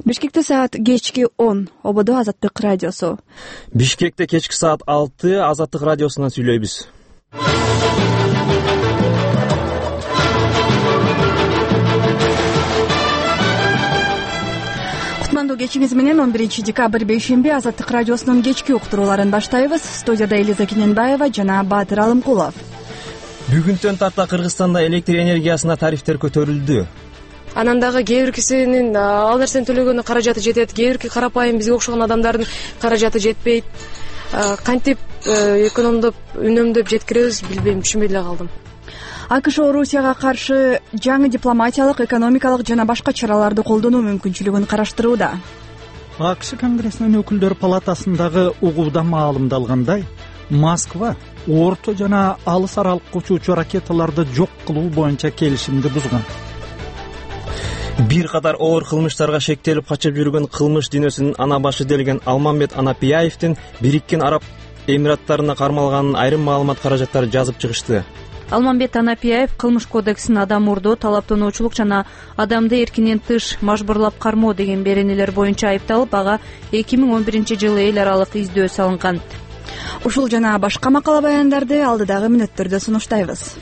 Бишкекте саат кечки 10. Ободо Азаттык радиосу. Бишкекте кечки саат 6 Азаттык радиосунан сүйлөйбүз. Кутмандуу кечиңиз менен 11 декабрь бейшемби Азаттык радиосунун кечки уктурууларын баштайбыз. Студияда Элиза Кененбаева жана Баатыр Алымкулов. Бүгүнтөн тарта Кыргызстанда электр энергиясына тарифтер көтөрүлдү. Анан дагы кээ бир кишинин ал нерсени төлөгөнү каражаты жетет, кээ бирки карапайым бизге окшогон адамдардын каражаты жетпейт. Кантип экономдоп, үнөмдөп жеткиребиз, билбейм, түшүнбөй эле калдым. АКШ Орусияга каршы жаңы дипломатиялык, экономикалык жана башка чараларды колдонуу мүмкүнчүлүгүн караштырууда. АКШ Конгрессинин өкүлдөр палатасындагы угууда маалымдалгандай, Москва орто жана алыс аралыкка учуучу ракеталарды жок кылуу боюнча келишимди бузган. Бир катар оор кылмыштарга шектелип качып жүргөн кылмыш дүйнөсүнүн ана башы делген Алмамбет Анапияевдин Бириккен Араб Эмираттарына кармалганын айрым маалымат каражаттары жазып чыгышты. Алмамбет Анапияев кылмыш кодексин адам урдоо, талаптануучулук жана адамды эркинен тыш мажбурлап кармоо деген беренелер боюнча айыпталып, ага 2011-жылы эл аралык издөө салынган. Ушул жана башка макала баяндарды алдыдагы мүнөттөрдө сунуштайбыз.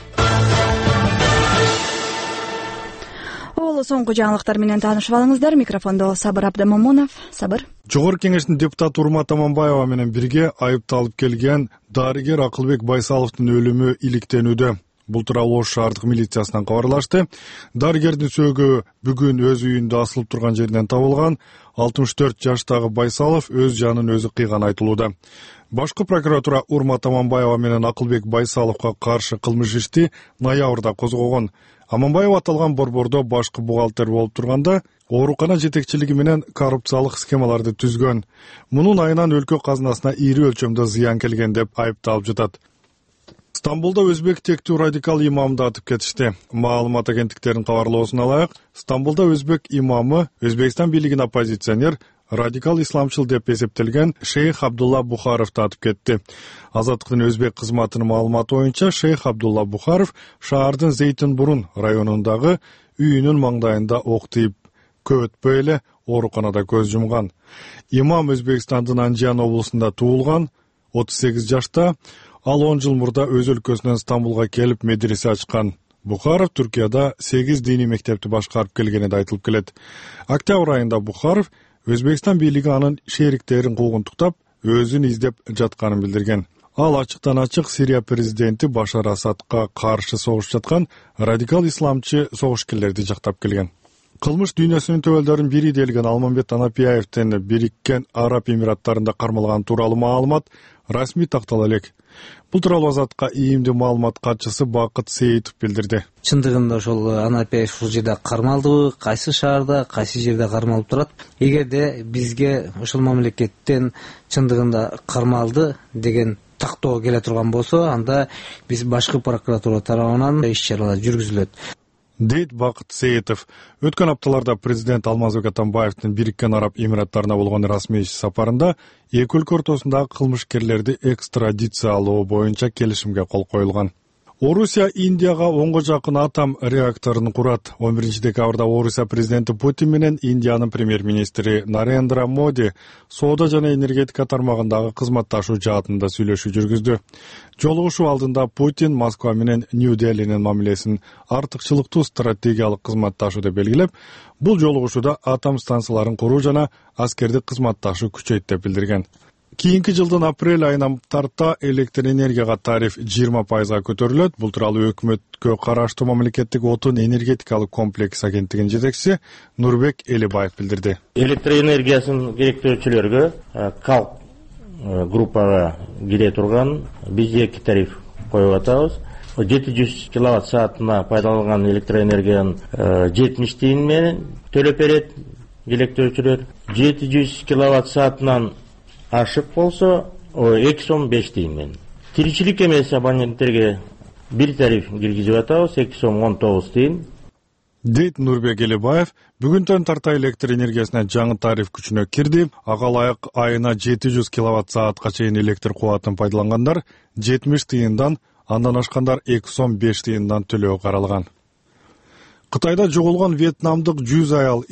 Соңку жаңылыктар менен таанышып алыңыздар. Микрофондо Сабыр Абдамомунов. Сабыр. Жогорку кеңештин депутаты Урмат Аманбаева менен бирге айыпталып келген дарыгер Акылбек Байсаловдун өлүмү иликтенүүдө. Бул тууралуу Ош шаардык милициясынан кабарлашты. Дарыгердин сөөгү бүгүн өз үйүндө асылып турган жерден табылган. 64 жаштагы Байсалов өз жанын өзү кыйган айтылууда. Башкы прокуратура Урмат Аманбаева менен Акылбек Байсаловго каршы кылмыш ишти ноябрда козгогон. Аманбаев аталган борбордо башкы бухгалтер болуп турганда, оорукана жетекчилиги менен коррупциялык схемаларды түзгөн. Мунун айынан өлкө казынасына ири өлчөмдө зыян келген деп айыпталып жатат. Стамбулда өзбек тектүү радикал имамды атып кетишти. Маалымат агенттиктеринин кабарлоосуна ылайык, Стамбулда өзбек имамы Өзбекстан бийлигине оппозиционер, радикал исламчыл деп эсептелген Шейх Абдулла Бухаровду атып кетти. Азаттыктын өзбек кызматынын маалыматы боюнча Шейх Абдулла Бухаров шаардын Зейтинбурун районундагы үйүнүн маңдайында ок тийип, көп өтпөй эле ооруканада көз жумган. Имам Өзбекстандын Анжан облусунда туулган, 38 жашта, ал 10 жыл мурда өз өлкөсүнөн Стамбулга келип медресе ачкан. Бухаров Түркияда 8 диний мектепти башкарып келгени да айтылып келет. Октябрь айында Бухаров Өзбекстан бийлиги анын шериктерин куугунтуктап, өзүн издеп жатканын билдирген. Ал ачыктан ачык Сирия президенти Башар Асадка каршы согуш жаткан радикал исламчы согушкерлерди жактап келген. Кылмыш дүйнөсүнүн төбөлдөрүнүн бири делген Алмамбет Анапияевдин Бириккен Араб Эмираттарында кармалган тууралуу маалымат расмий тактала элек. Бул тууралуу Азатка ийимдүү маалымат катчысы Бакыт Сейитов билдирди. Чындыгында ошол Анапияев ушул жерде кармалдыбы, кайсы шаарда, кайсы жерде кармалып турат? Эгерде бизге ошол мамлекеттен чындыгында кармалды деген тактоо келе турган болсо, анда биз башкы прокуратура тарабынан иш-чаралар жүргүзүлөт, дейт Бакыт Сейитов. Өткөн апталарда президент Алмазбек Атамбаевдин Бириккен Араб Эмираттарына болгон расмий иш сапарында эки өлкө ортосундагы кылмышкерлерди экстрадициялоо боюнча келишимге кол коюлган. Орусия Индияга 10го жакын атом реакторун курат. 11 декабрда Орусия президенти Путин менен Индиянын премьер-министри Нарендра Моди соода жана энергетика тармагындагы кызматташуу жаатында сүйлөшүү жүргүздү. Жолугушуу алдында Путин Москва менен Нью-Делинин мамилесин артыкчылыктуу стратегиялык кызматташуу деп белгилеп, бул жолугушууда атом станцияларын куруу жана аскердик кызматташуу күчөйт деп билдирген. Кийинки жылдын апрель айынан тарта электр энергияга тариф 20% көтөрүлөт. Бул тууралуу өкмөткө караштуу мамлекеттик отун энергетикалык комплекс агенттигинин жетекчиси Нурбек Элибаев билдирди. Электр энергиясын керектөөчүлөргө КАЛК группага кире турган биз 2 тариф коюп атабыз. 700 киловатт саатына пайдаланган электр энергиянын 70 тиын менен төлөп берет керектөөчүлөр. 700 киловатт саатынан ашык болсо 2 сом 5 тиын менен. Тиричилик эмес абоненттерге бир тариф киргизип атабыз, 2 сом 19 тиын. дейт Нурбек Элибаев. Бүгүнтөн тарта электр энергиясына жаңы тариф күчүнө кирди. Ага ылайык айына 700 киловатт саатка чейин электр кубатын пайдалангандар 70 тиындан, андан ашкандар 2 сом 5 тиындан төлөө каралган. Кытайда жоголгон вьетнамдык 100 аял